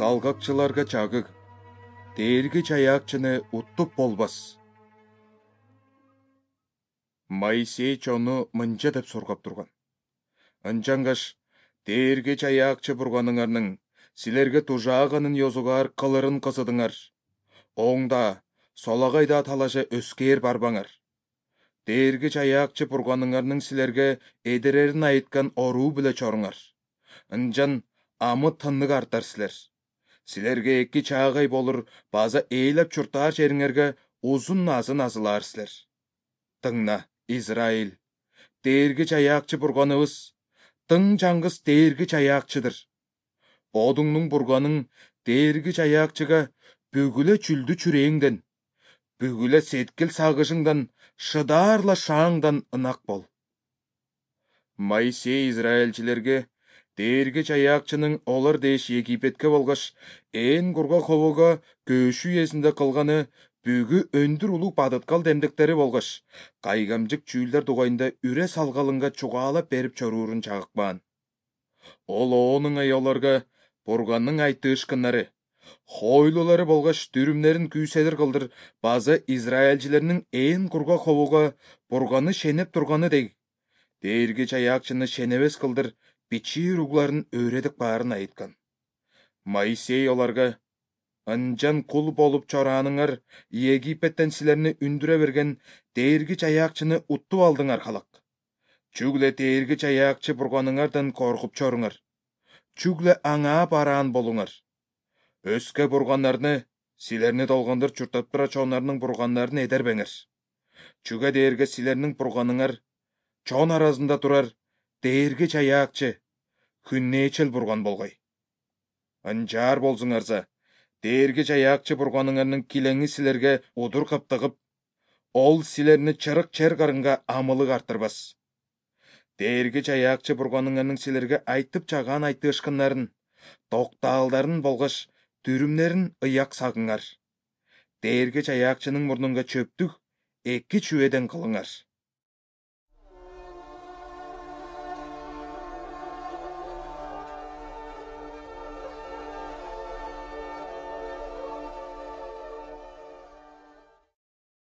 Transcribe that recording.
Салгакчыларга чагыг, дээрги чаякчыны уттуп болбас. Моисей чону мынча деп сургап турган. Ынчангаш дээрги чаякчы бурганыңарның силерге тужааганын йозугаар кылырын кысыдыңар. Оңда, солагайда талаша өскээр барбаңар. Дээрги чаякчы бурганыңарның силерге эдерерин айткан оруу биле чоруңар. Ынчан амы тыннык артар силер. Силерге эки чаагай болур, база ээлеп чуртаар жериңерге узун назын азылаар силер. Тыңна, Израиль, дээрги чаякчы бурганыбыз, тың чаңгыс дээрги чаякчыдыр. Бодуңнуң бурганың дээрги чаякчыга бүгүлө чүлдү чүрээңден, бүгүлө сеткил сагышыңдан, шыдаарла шааңдан ынак бол. Моисей израильчилерге дээрги чаякчынын олар дээш Египетке болгош ээн курга хобого көөшүү эсинде кылганы бүгү өндүр улуу бадыткал демдектери болгош кайгамжык чүүлдер дугайында үре салгалынга чугаалап берип чоруурун чагыкпаан. Ол оонуңай оларга бурганның айтыышкыннары, хойлулары болгош дүрүмнерин күүседир кылдыр база израильчилердин ээн курга хобого бурганы шенеп турганы дег, дээрги чаякчыны шенебес кылдыр бичир угларын өредик баарын айткан. Моисей оларга: «Ынчан кул болуп чорааныңар Египеттен силерни үндүрө берген дээрги чаякчыны уттуп алдыңар халак. Чүгле дээрги чаякчы бурганыңардан коркуп чоруңар. Чүгле аңаа бараан болуңар. Өскө бурганнарны, силерни долгондор чуртап тура чонарның бурганнарын эдербеңер. Чүгө дээрге силернин бурганыңар чон арасында турар дээрги чаякчы, хүннээчел бурган болгой. Анчаар болсуңарса, дээрги чаякчы бурганыңарның килеңи силерге удур каптыгып, ол силерни чырык чер карынга амылык артырбас. Дээрги чаякчы бурганыңарның силерге айтып чагаан айтыышкындарын, токтаалдарын болгош дүрүмнерин ыяк сагыңар. Дээрги чаякчынын мурнунга чөптүк эки чүбеден кылыңар.